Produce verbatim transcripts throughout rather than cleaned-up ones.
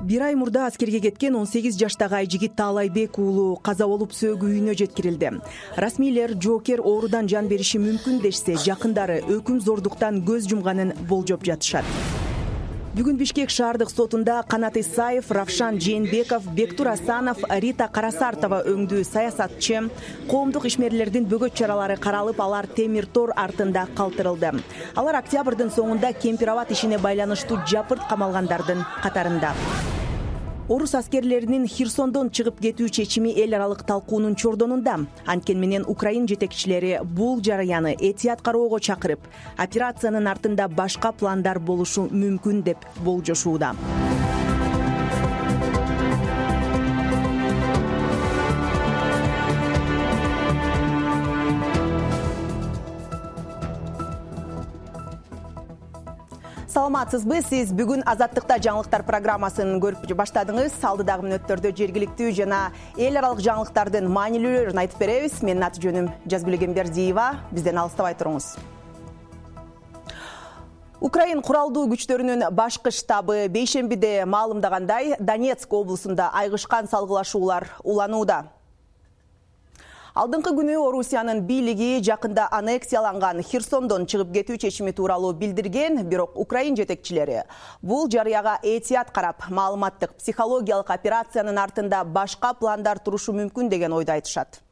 Бир ай мурда аскерге кеткен он сегиз жаштагы Айжигит Таалайбек уулу каза болуп сөөгү үйүнө жеткирилди. Расмийлер жоокер оорудан жан бериши мүмкүн дешсе, жакындары өкүм зордуктан көз жумганын болжоп жатышат. Бүгүн Бишкек шаардык сотунда Канат Исаев, Равшан Жээнбеков, Бектур Асанов, Рита Карасартова өңдүү саясатчы, коомдук ишмерлердин бөгөт чаралары каралып, алар темир тор артында калтырылды. Алар октябрдын соңунда Кемпир-Абад ишине байланыштуу жапырт камалгандардын катарында. Орус аскерлеринин Херсондон чыгып кетүү чечими эл аралык талкуунун чордонунда. Анткени менен Украин жетекчилери бул жарыяны этият кароого чакырып, операциянын артында башка пландар болушу мүмкүн деп болжошууда. Саламатсызбы, сиз бүгүн Азаттыкта жаңылыктар программасын көрүп баштадыңыз. Алдыдагы мүнөттөрдө жергиликтүү жана эл аралык жаңылыктардын маанилүүлөрүн айтып беребиз. Менин аты жөнүм Жазгүл Эгембердиева. Бизден алыстабай туруңуз. Украин куралдуу күчтөрүнүн башкы штабы бейшембиде маалымдагандай, Донецк облусунда айгышкан салгылашуулар уланууда. Алдыңкы күнү Орусиянын бийлиги жакында аннексияланган Херсондон чыгып кетүү чечими тууралуу билдирген, бирок Украин жетекчилери бул жарыяга этият карап, маалыматтык психологиялык операциянын артында башка пландар турушу мүмкүн деген ойду айтышат.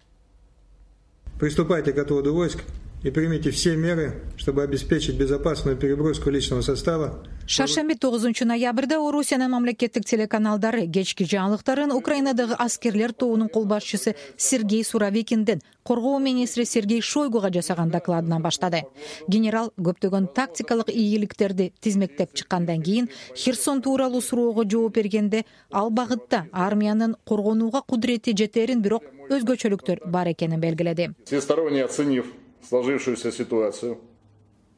Приступайте к отводу войск и примите все меры, чтобы обеспечить безопасную переброску личного состава. Шаршемби тогузунчу ноябрда Орусиянын мамлекеттик телеканалдары кечки жаңылыктарын Украинадагы аскерлер тобунун кол башчысы Сергей Суровикиндин коргоо министри Сергей Шойгуга жасаган докладынан баштады. Генерал көптөгөн тактикалык ийгиликтерди тизмектеп чыккандан кийин Херсон тууралуу суроого жооп бергенде, ал багытта армиянын коргонууга кудурети жетерин, бирок өзгөчөлүктөр бар экенин белгиледи. Всесторонне оценив сложившуюся ситуацию,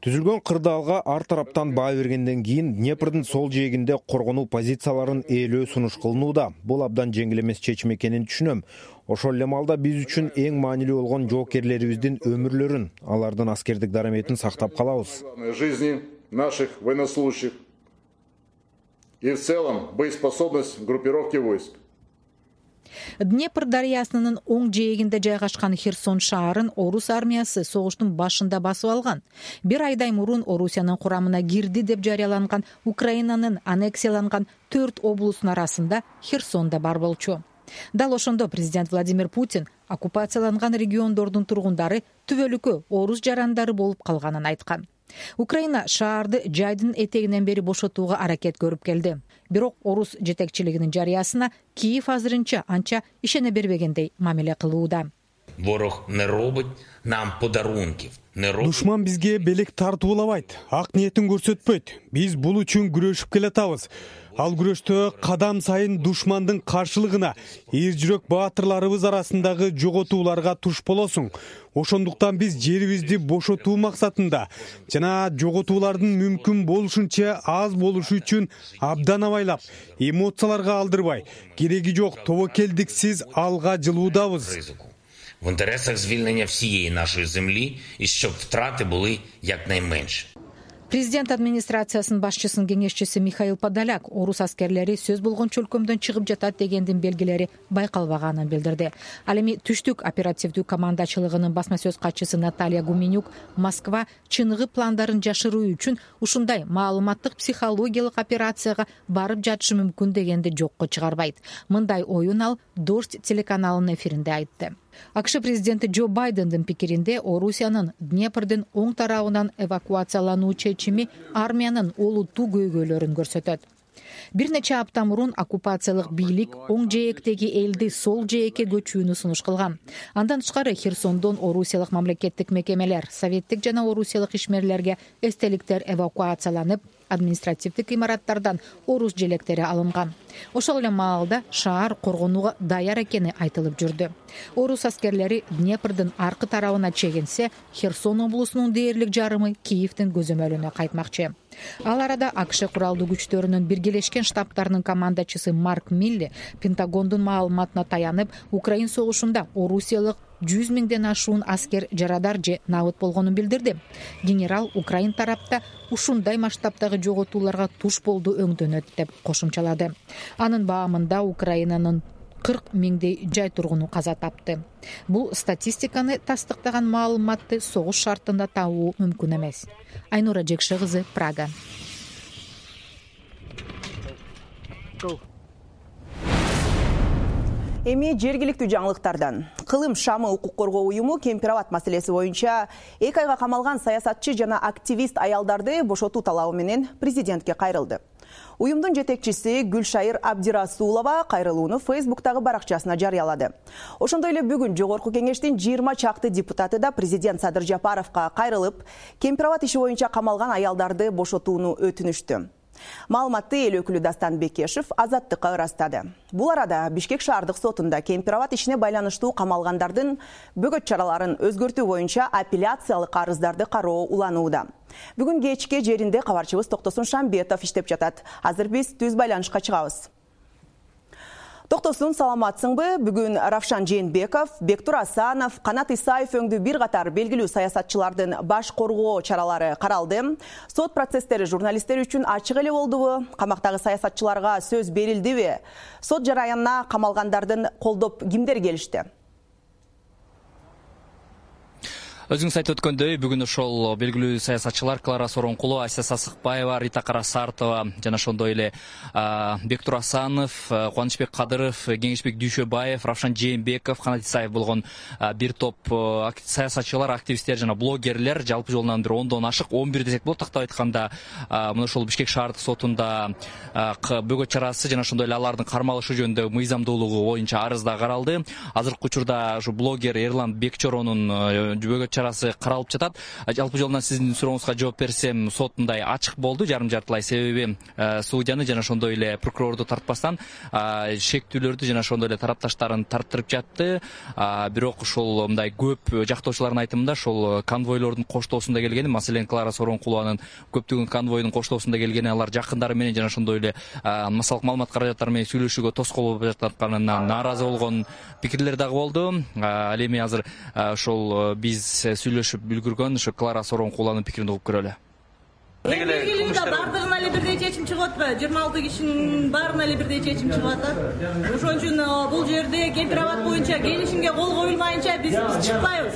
түзүлгөн кырдаалга ар тараптан баа бергенден кийин Днепрдин сол жээгинде коргонуу позицияларын ээлөө сунуш кылынууда. Бул абдан жеңил эмес чечим экенин түшүнөм. Ошол эле маалда биз үчүн эң маанилүү болгон жоокерлерибиздин өмүрлөрүн, алардын аскердик дараметин сактап калабыз. Жизни наших военнослужащих и в целом боеспособность группировки войск. Днепр дарыясынын оң жээгинде жайгашкан Херсон шаарын орус армиясы согуштун башында басып алган. Бир айдай мурун Орусиянын курамына кирди деп жарыяланган Украинанын аннексияланган төрт облусунун арасында Херсон да бар болчу. Дал ошондо президент Владимир Путин оккупацияланган региондордун тургундары түбөлүккө орус жарандары болуп калганын айткан. Украина шаарды жайдын этегинен бери бошотууга аракет көрүп келди. Бирок орус жетекчилигинин жарыясына Киев азырынча анча ишене бербегендей мамиле кылууда. Ворог не робить нам подарунков. Душман бизге белек тартуулабайт, ак ниетин көрсөтпөйт. Биз бул үчүн күрөшүп келатабыз. Ал күрөштө кадам сайын душмандын каршылыгына эр жүрөк баатырларыбыз арасындагы жоготууларга туш болосуң. Ошондуктан биз жерибизди бошотуу максатында жана жоготуулардын мүмкүн болушунча аз болушу үчүн абдан абайлап, эмоцияларга алдырбай, кереги жок тобокелдиксиз алга жылуудабыз. В інтересах звільнення всієї нашої землі і щоб втрати були якнайменші. Президент администрациясынын башчысынын кеңешчиси Михаил Подоляк орус аскерлери сөз болгончу өлкөмдөн чыгып жатат дегендин белгилери байкалбаганын билдирди. Ал эми түштүк оперативдүү командачылыгынын басма сөз катчысы Наталья Гуменюк Москва чыныгы пландарын жашыруу үчүн ушундай маалыматтык психологиялык операцияга барып жатышы мүмкүн дегенди жокко чыгарбайт. Мындай оюн ал Дождь телеканалынын эфиринде айтты. АКШ президенти Джо Байдендин пикиринде Орусиянын Днепрдин оң тарабынан эвакуациялануу чечими армиянын олуттуу көйгөйлөрүн көрсөтөт. Бир нече апта мурун оккупациялык бийлик оң жээктеги элди сол жээкке көчүүнү сунуш кылган. Андан тышкары Херсондон орусиялык мамлекеттик мекемелер, советтик жана орусиялык ишмерлерге эстеликтер эвакуацияланып, административдик имараттардан орус желектери алынган. Ошол эле маалда шаар коргонууга даяр экени айтылып жүрдү. Орус аскерлери Днепрдин аркы тарабына чегинсе, Херсон облусунун дээрлик жарымы Киевдин көзөмөлүнө кайтмакчы. Ал арада АКШ куралдуу күчтөрүнүн биргелешкен штабтарынын командачысы Марк Милли Пентагондун маалыматына таянып, Украин согушунда орусиялык жүз миңден ашуун аскер жарадар же набыт болгонун билдирди. Генерал Украин тарапта ушундай масштабтагы жоготууларга туш болду өңдөнөт деп кошумчалады. Анын баамында Украинанын кырк миңдей жай тургуну каза тапты. Бул статистиканы тастыктаган маалыматты согуш шартында табуу мүмкүн эмес. Айнура Жекше кызы, Прага. Эми жергиликтүү жаңылыктардан. Кылым шамы укук коргоо уюму Кемпирабад маселеси боюнча эки айга камалган саясатчы жана активист аялдарды бошотуу талабы менен президентке кайрылды. Уюмдун жетекчиси Гүлшайыр Абдирасулова кайрылууну Фейсбуктагы баракчасына жарыялады. Ошондой эле бүгүн жогорку кеңештин жыйырма чакты депутаты да президент Садыр Жапаровго кайрылып, Кемпирабад иши боюнча камалган аялдарды бошотууну өтүнүштү. Маалыматты эл өкүлү Дастан Бекешев Азаттыкка ырастады. Бул арада Бишкек шаардык сотунда Кемпирабад ишине байланыштуу камалгандардын бөгөт чараларын өзгөртүү боюнча апелляциялык арыздарды кароо уланууда. Бүгүн кечке жеринде кабарчыбыз Токтосун Шамбетов иштеп жатат. Азыр биз түз байланышка чыгабыз. Токтосун, саламатсыңбы? Бүгүн Равшан Жээнбеков, Бектур Асанов, Канат Исаев өңдүү бир катар белгилүү саясатчылардын баш коргоо чаралары каралды. Сот процесстери журналисттер үчүн ачык эле болдубу? Камактагы саясатчыларга сөз берилдиби? Сот жараянына камалгандардын колдоп кимдер келишти? Өзүңүз айтып өткөндөй, бүгүн ошол белгилүү саясатчылар Клара Соронкулова, Ася Сасыкбаева, Рита Карасартова жана ошондой эле Бектур Асанов, Кубанычбек Кадыров, Кеңешбек Дүйшөбаев, Равшан Жээнбеков, Канат Исаев болгон бир топ саясатчылар, активисттер жана блогерлер жалпы жолунан бир ондон ашык, он бир десек болот, тактап айтканда, мына ошол Бишкек шаардык сотунда бөгөт чарасы жана ошондой эле алардын кармалышы жөнүндө мыйзамдуулугу боюнча арыз да каралды. Азыркы учурда ушу блогер Эрлан Бекчоронун бөгөт чарасы каралып жатат. Жалпы жолунан сиздин сурооңузга жооп берсем, сот мындай ачык болду, жарым жартылай, себеби судьяны жана ошондой эле прокурорду тартпастан шектүүлөрдү жана ошондой эле тарапташтарын тарттырып жатты. Бирок ушул мындай көп жактоочулардын айтымында ошол конвойлордун коштоосунда келгени, маселен Клара Соронкулованын көптөгөн конвойдун коштоосунда келгени, алар жакындары менен жана ошондой эле массалык маалымат каражаттары менен сүйлөшүүгө тоскоол болуп жатканынан нааразы болгон пикирлер дагы болду. Ал эми азыр ошол биз сүйлөшүп үлгүргөн ошо Клара Соронкулованын пикирин угуп көрөлү. Белгилүү бардыгына эле бирдей чечим чыгып атпайбы? жыйырма алты кишинин баарына эле бирдей чечим чыгып атат. Ошон үчүн бул жерде Кемпирабад боюнча келишимге кол коюлмайынча биз чыкпайбыз.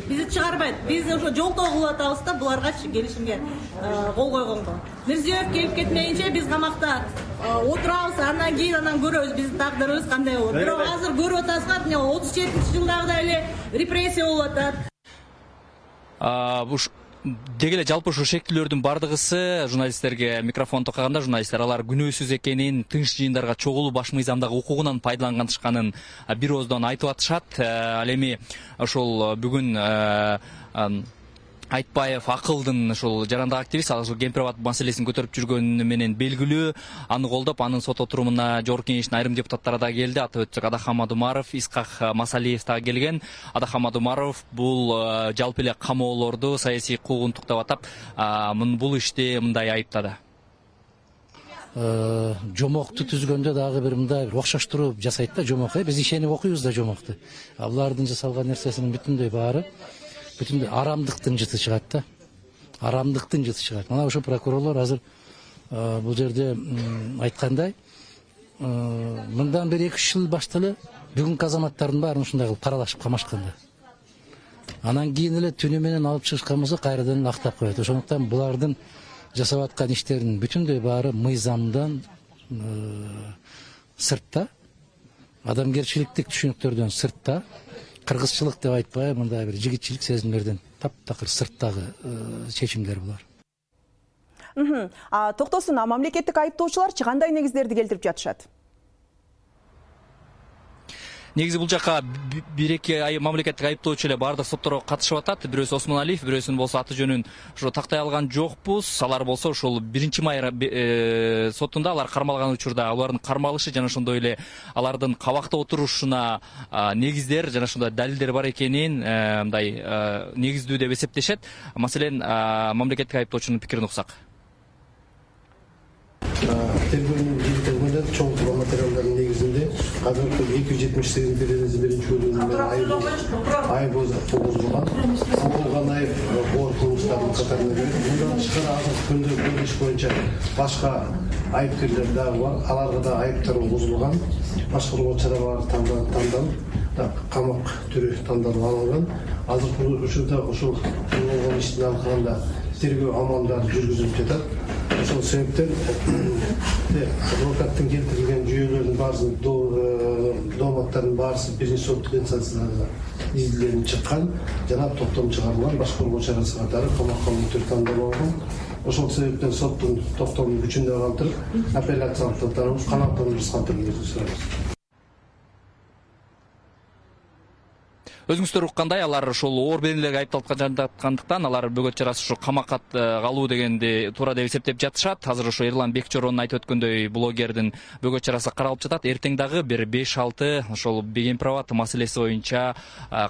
Бизди чыгарбайт. Биз ошо жолтоо кылып атабыз да буларгачы келишимге кол койгонго. Мирзиёев келип кетмейинче биз камакта отурабыз, андан кийин анан көрөбүз биздин тагдырыбыз кандай болот. Бирок азыр көрүп атасыздар, мына отуз жетинчи жылдагыдай эле репрессия болуп атат. Деги эле жалпы ушу шектүүлөрдүн бардыгысы журналисттерге микрофон токаганда журналисттер алар күнөөсүз экенин, тынч жыйындарга чогулуу баш мыйзамдагы укугунан пайдаланышканын бир ооздон айтып атышат. Ал эми ошол бүгүн Айтбаев Акылдын ошол жарандык активист, ал ошол Кемпирабад маселесин көтөрүп жүргөнү менен белгилүү, аны колдоп, анын сот отурумуна жогорку кеңештин айрым депутаттары да келди. Атап өтсөк, Адахам Адумаров, Искак Масалиев да келген. Адахам Адумаров бул жалпы эле камоолорду саясий куугунтуктап атап, бул ишти мындай айыптады. Жомокту түзгөндө дагы бир мындай бир окшоштуруп жасайт да жомок. Биз ишенип окуйбуз да жомокту. Булардын жасалган нерсесинин бүтүндөй баары бүтүн арамдыктын жыты чыгат да. Арамдыктын жыты чыгат. Мына ошо прокурорлор азыр бул жерде айткандай, мындан бир эки үч жыл баштале бүгүнкү азаматтардын баарын ушундай кылып каралашып камашкан да. Анан кийин эле түнү менен алып чыгышкан болсо кайрадан актап коет. Ошондуктан булардын жасап аткан иштеринин бүтүндөй баары мыйзамдан сыртта, адамгерчиликтик түшүнүктөрдөн сыртта, кыргызчылык деп айтпай, мындай бир жигитчилик сезимдерден таптакыр сырттагы чечимдер булар. Токтосун, мамлекеттик айыптоочуларчы кандай негиздерди келтирип жатышат? Негизи бул жака бир эки мамлекеттик айыптоочу эле баардык сотторго катышып атат. Бирөөсү Осмоналиев, бирөөсүнүн болсо аты жөнүн ошо тактай алган жокпуз. Алар болсо ошол биринчи май сотунда алар кармалган учурда алардын кармалышы жана ошондой эле алардын кабакта отурушуна негиздер жана ошондой далилдер бар экенин мындай негиздүү деп эсептешет. Маселен, мамлекеттик айыптоочунун пикирин уксак. Тергөөнүн жыйынтыгында чоң материалдардын негизинде азыркы эки жүз жетимиш сегиз беренеси биринчи бөлүгүнүн айып болгон. Болгон айып оор кылмыштардын катарына кирет. Мындан тышкары азыркы күндө көрүнүш боюнча башка айыпкерлер дагы бар. Аларга да айыптар козулган. Башкаруу чаралары тандалып, камак түрү тандалып алынган. Азыр учурда ошол болгон иштин алкагында тергөө амалдары жүргүзүлүп жатат. Ошол себептен адвокаттын келтирилген жүйөлөрдүн баарысы, дооматтардын баарысы биринчи сот инстанциясына изилденип чыккан, жана токтом чыгарылган. Башкаруу чарасы катары камакка түрү тандалган. Ошол себептен соттун токтомун күчүндө калтырып, апелляциялык тарап канааттандырып калтырып сурайбыз. Өзүңүздөр уккандай, алар ошол оор беренелерге айыпталып жаткандыктан алар бөгөт чарасы ушу камакка калуу дегенди туура деп эсептеп жатышат. Азыр ошо Эрлан Бекчоронун айтып өткөндөй блогердин бөгөт чарасы каралып жатат. Эртең дагы бир беш алты ошол Бегемпирабад маселеси боюнча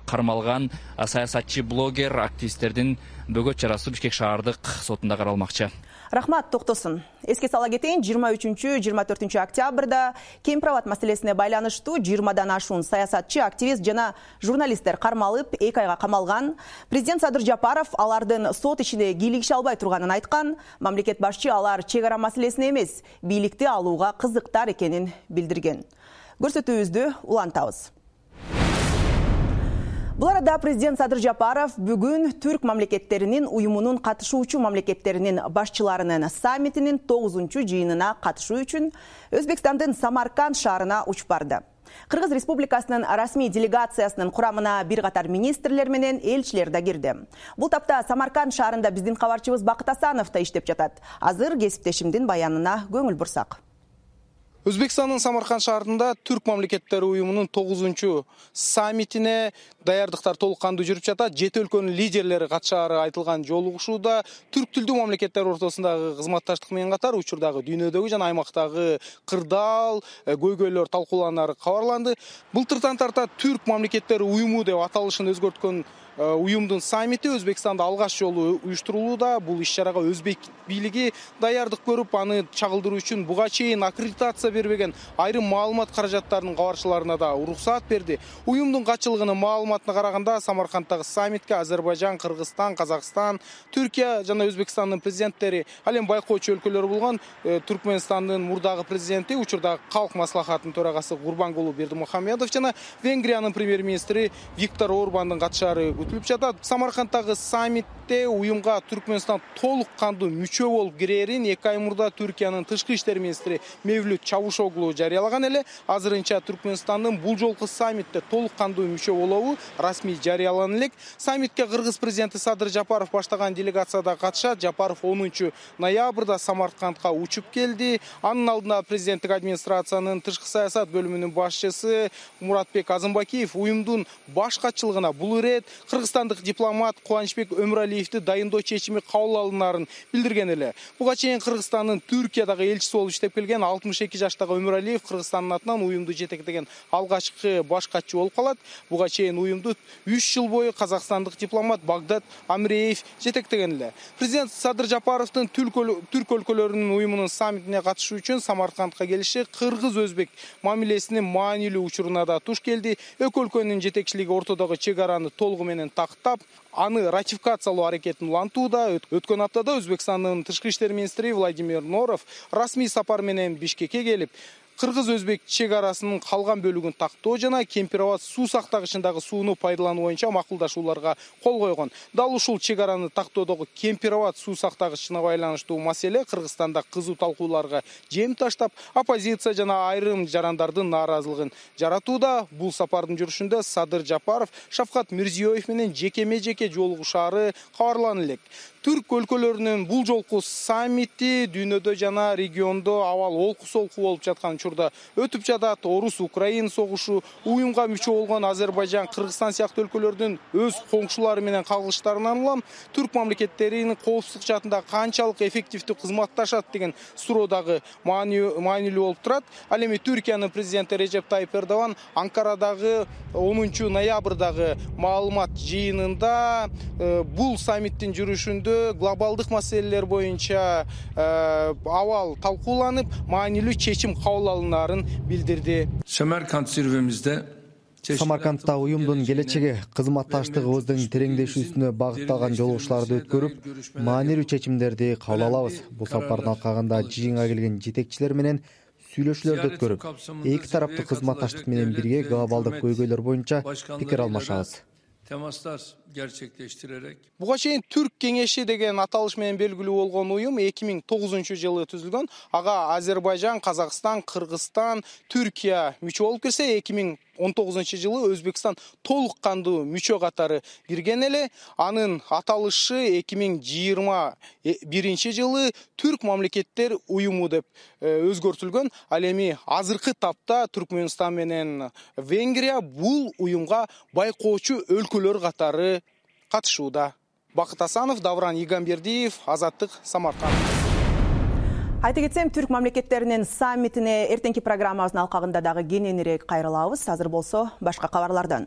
кармалган саясатчы, блогер, активисттердин бөгөт чарасы Бишкек шаардык сотунда каралмакчы. Рахмат, токтосун. Эске сала кетейин, жыйырма үчүнчү жыйырма төртүнчү октябрда Кемпирабад маселесине байланыштуу жыйырмадан ашуун саясатчы, активист жана журналисттер кармалып, эки айга камалган. Президент Садыр Жапаров алардын сот ишине кийлигише албай турганын айткан. Мамлекет башчы алар чек ара маселесине эмес, бийликти алууга кызыктар экенин билдирген. Көрсөтүүбүздү улантабыз. Бул арада президент Садыр Жапаров бүгүн түрк мамлекеттеринин уюмунун катышуучу мамлекеттеринин башчыларынын саммитинин тогузунчу жыйынына катышуу үчүн Өзбекстандын Самарканд шаарына учуп барды. Кыргыз Республикасынын расмий делегациясынын курамына бир катар министрлер менен элчилер да кирди. Бул тапта Самарканд шаарында биздин кабарчыбыз Бакыт Асанов да иштеп жатат. Азыр кесиптешимдин баянына көңүл бурсак. Өзбекстандын Самарканд шаарында түрк мамлекеттери уюмунун тогузунчу саммитине даярдыктар толук кандуу жүрүп жатат. Жети өлкөнүн лидерлери катышаары айтылган жолугушууда түрк тилдүү мамлекеттер ортосундагы кызматташтык менен катар учурдагы дүйнөдөгү жана аймактагы кырдаал, көйгөйлөр талкууланары кабарланды. Былтыртан тарта түрк мамлекеттери уюму деп аталышын өзгөрткөн уюмдун саммити Өзбекстанда алгаш жолу уюштурулууда. Бул иш-чарага өзбек бийлиги даярдык көрүп, аны чагылдыруу үчүн буга чейин аккредитация бербеген айрым маалымат каражаттарынын кабарчыларына да уруксаат берди. Уюмдун катчылыгынын маалыматына караганда, Самаркандтагы саммитке Азербайжан, Кыргызстан, Казакстан, Түркия жана Өзбекстандын президенттери, ал эми байкоочу өлкөлөр болгон Түркмөнстандын мурдагы президенти, учурдагы Калк маслахатынын төрагасы Гурбангулу Бердимухамедов жана Венгриянын премьер-министри Виктор Орбандын катышаары күтүлүп жатат. Самаркандтагы саммитте уюмга Түркмөнстан толук кандуу мүчө болуп кирерин эки ай мурда Түркиянын тышкы иштер министри Мевлют Чавушоглу жарыялаган эле. Азырынча Түркмөнстандын бул жолку саммитте толук кандуу мүчө болобу расмий жарыялана элек. Саммитке Кыргыз президенти Садыр Жапаров баштаган делегацияда катышат. Жапаров онунчу ноябрда Самаркандка учуп келди. Анын алдында президенттик администрациянын тышкы саясат бөлүмүнүн башчысы Муратбек Азымбакиев уюмдун баш катчылыгына бул ирет кыргызстандык дипломат Кубанычбек Өмүралиевди дайындоо чечими кабыл алынаарын билдирген эле. Буга чейин Кыргызстандын Түркиядагы элчиси болуп иштеп келген алтымыш эки жаштагы Өмүралиев Кыргызстандын атынан уюмду жетектеген алгачкы баш катчы болуп калат. Буга чейин уюмду үч жыл бою казакстандык дипломат Багдат Амреев жетектеген эле. Президент Садыр Жапаровдун түрк өлкөлөрүнүн уюмунун саммитине катышуу үчүн Самаркандка келиши кыргыз-өзбек мамилесинин маанилүү учуруна да туш келди. Эки өлкөнүн жетекчилиги ортодогу чек араны толугу менен тактап, аны ратификациялоо аракетин улантууда. Өткөн аптада Өзбекстандын тышкы иштер министри Владимир Норов расмий сапар менен Бишкекке келип, кыргыз-өзбек чек арасынын калган бөлүгүн тактоо жана Кемпирабад суу сактагычындагы сууну пайдалануу боюнча макулдашууларга кол койгон. Дал ушул чек араны тактоодогу Кемпирабад суу сактагычына байланыштуу маселе Кыргызстанда кызуу талкууларга жем таштап, оппозиция жана айрым жарандардын нааразылыгын жаратууда. Бул сапардын жүрүшүндө Садыр Жапаров Шавкат Мирзиёев менен жекеме-жеке жолугушаары кабарлана элек. Түрк өлкөлөрүнүн бул жолку саммити дүйнөдө жана региондо абал олку-солку болуп жаткан учурда өтүп жатат. Орус-Украин согушу, уюмга мүчө болгон Азербайжан, Кыргызстан сыяктуу өлкөлөрдүн өз коңшулары менен кагылыштарынан улам түрк мамлекеттеринин коопсуздук жаатында канчалык эффективдүү кызматташат деген суроо дагы маанилүү болуп турат. Ал эми Түркиянын президенти Режеп Тайип Эрдоган Анкарадагы онунчу ноябрдагы маалымат жыйынында бул саммиттин жүрүшүндө глобалдык маселелер боюнча абал талкууланып, маанилүү чечим кабыл алынаарын билдирди. Самарканд зирвемизде Самаркандта уюмдун келечеги кызматташтыгыбыздын тереңдешүүсүнө багытталган жолугушууларды өткөрүп, маанилүү чечимдерди кабыл алабыз. Бул сапардын алкагында жыйынга келген жетекчилер менен сүйлөшүүлөрдү өткөрүп, эки тараптуу кызматташтык менен бирге глобалдык көйгөйлөр боюнча пикир алмашабыз. Буга чейин Түрк кеңеши деген аталыш менен белгилүү болгон уюм эки миң тогузунчу жылы түзүлгөн. Ага Азербайжан, Казакстан, Кыргызстан, Түркия мүчө болуп кирсе, эки миң он тогузунчу жылы Өзбекстан толук кандуу мүчө катары кирген эле. Анын аталышы эки миң жыйырма биринчи жылы Түрк мамлекеттер уюму деп өзгөртүлгөн. Ал эми азыркы тапта Түркмөнстан менен Венгрия бул уюмга байкоочу өлкөлөр катары катышууда. Бакыт Асанов, Давран Игамбердиев, Азаттык, Самарканд. Айта кетсем, Түрк мамлекеттеринин саммитине эртеңки программабыздын алкагында дагы кененирээк кайрылабыз. Азыр болсо башка кабарлардан.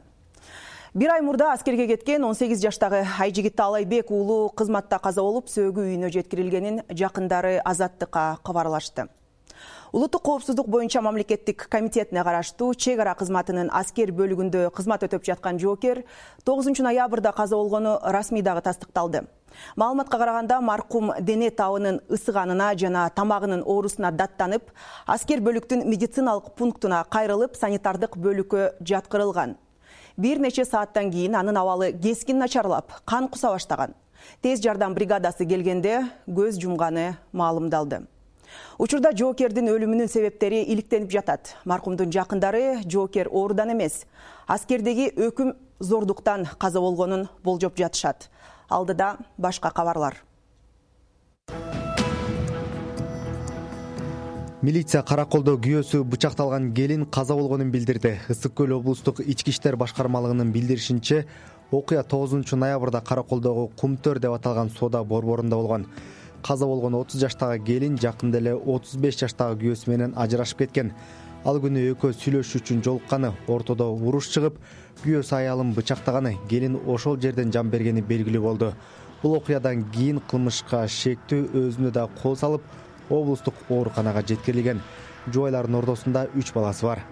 Бир ай мурда аскерге кеткен он сегиз жаштагы Айжигит Таалайбек уулу кызматта каза болуп, сөөгү үйүнө жеткирилгенин жакындары Азаттыкка кабарлашты. Улуттук коопсуздук боюнча мамлекеттик комитетине караштуу чек ара кызматынын аскер бөлүгүндө кызмат өтөп жаткан жоокер тогузунчу ноябрда каза болгону расмий дагы тастыкталды. Маалыматка караганда, маркум дене табынын ысыганына жана тамагынын оорусуна даттанып, аскер бөлүктүн медициналык пунктуна кайрылып, санитардык бөлүккө жаткырылган. Бир нече сааттан кийин анын абалы кескин начарлап, кан куса баштаган. Тез жардам бригадасы келгенде көз жумганы маалымдалды. Учурда жоокердин өлүмүнүн себептери иликтенип жатат. Маркумдун жакындары жоокер оорудан эмес, аскердеги өкүм зордуктан каза болгонун болжоп жатышат. Алдыда башка кабарлар. Милиция Караколдо күйөөсү бычакталган келин каза болгонун билдирди. Ысык көл облустук ички иштер башкармалыгынын билдиришинче, окуя тогузунчу ноябрда Караколдогу Кумтөр деп аталган соода борборунда болгон. Каза болгон отуз жаштагы келин жакында эле отуз беш жаштагы күйөөсү менен ажырашып кеткен. Ал күнү экөө сүйлөшүү үчүн жолукканы, ортодо уруш чыгып, күйөөсү аялын бычактаганы, келин ошол жерден жан бергени белгилүү болду. Бул окуядан кийин кылмышка шектүү өзүнө да кол салып, облустук ооруканага жеткирилген. Жубайлардын ортосунда үч баласы бар.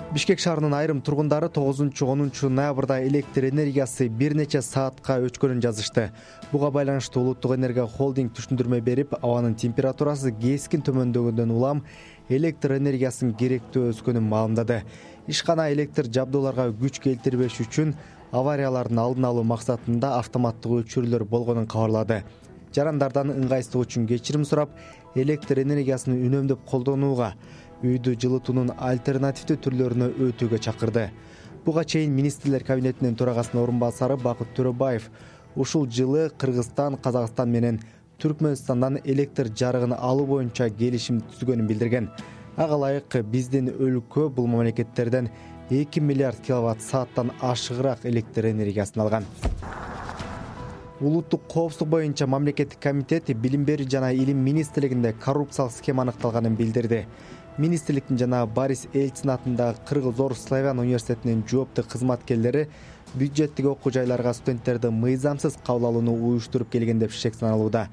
Бишкек шаарынын айрым тургундары тогузунчу онунчу ноябрда электр энергиясы бир нече саатка өчкөнүн жазышты. Буга байланыштуу Улуттук энергия холдинг түшүндүрмө берип, абанын температурасы кескин төмөндөгөндөн улам электр энергиясынын керектөө өскөнүн маалымдады. Ишкана электр жабдууларга күч келтирбеш үчүн авариялардын алдын алуу максатында автоматтык өчүрүүлөр болгонун кабарлады. Жарандардан ыңгайсыздык үчүн кечирим сурап, электр энергиясын үнөмдөп колдонууга, үйдү жылытуунун альтернативдүү түрлөрүнө өтүүгө чакырды. Буга чейин министрлер кабинетинин төрагасынын орун басары Бакыт Төрөбаев ушул жылы Кыргызстан, Казакстан менен Түркмөнстандан электр жарыгын алуу боюнча келишим түзгөнүн билдирген. Ага ылайык биздин өлкө бул мамлекеттерден эки миллиард киловатт сааттан ашыгыраак электр энергиясын алган. Улуттук коопсуздук боюнча мамлекеттик комитет билим берүү жана илим министрлигинде коррупциялык схема аныкталганын билдирди. Министрликтин жана Борис Эльцин атындагы Кыргыз Орус Славян университетинин жоопту кызматкерлери бюджеттик окуу жайларга студенттерди мыйзамсыз кабыл алууну уюштуруп келген деп шек саналууда.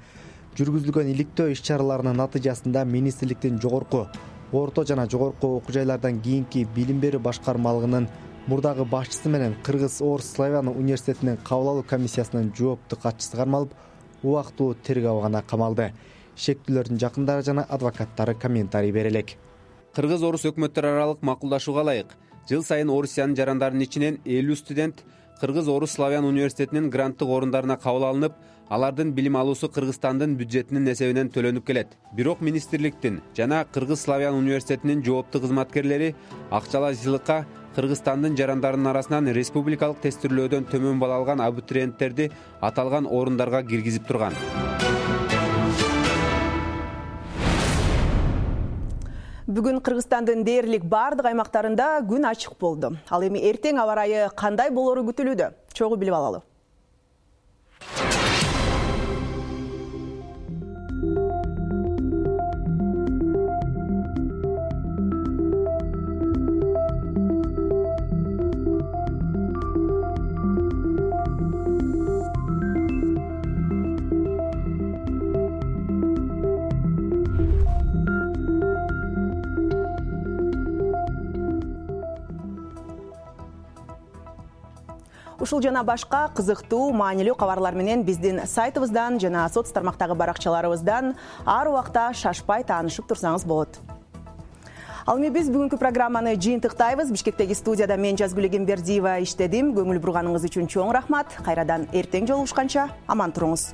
Жүргүзүлгөн иликтөө иш-чараларынын натыйжасында министрликтин жогорку, орто жана жогорку окуу жайлардан кийинки билим берүү башкармалыгынын мурдагы башчысы менен Кыргыз Орус Славян университетинин кабыл алуу комиссиясынын жоопту катчысы кармалып, убактылуу тергөө абагына камалды. Шектүүлөрдүн жакындары жана адвокаттары комментарий бере элек. Кыргыз Орус өкмөттөр аралык макулдашууга ылайык жыл сайын Орусиянын жарандарынын ичинен элүү студент Кыргыз Орус Славян университетинин гранттык орундарына кабыл алынып, алардын билим алуусу Кыргызстандын бюджетинин эсебинен төлөнүп келет. Бирок министрликтин жана Кыргыз Славян университетинин жоопту кызматкерлери акчалуу сыйлыкка Кыргызстандын жарандарынын арасынан республикалык тестирлөөдөн төмөн балл алган абитуриенттерди аталган орундарга киргизип турган. Бүгүн Кыргызстандын дээрлик бардык аймактарында күн ачык болду. Ал эми эртең аба ырайы кандай болору күтүлүүдө? Чогуу билип алалы. Ушул жана башка кызыктуу, маанилүү кабарлар менен биздин сайтыбыздан жана соц тармактагы баракчаларыбыздан ар убакта шашпай таанышып турсаңыз болот. Ал эми биз бүгүнкү программаны жыйынтыктайбыз. Бишкектеги студияда мен Жазгүл Эгембердиева иштедим. Көңүл бурганыңыз үчүн чоң рахмат. Кайрадан эртең жолугушканча аман туруңуз.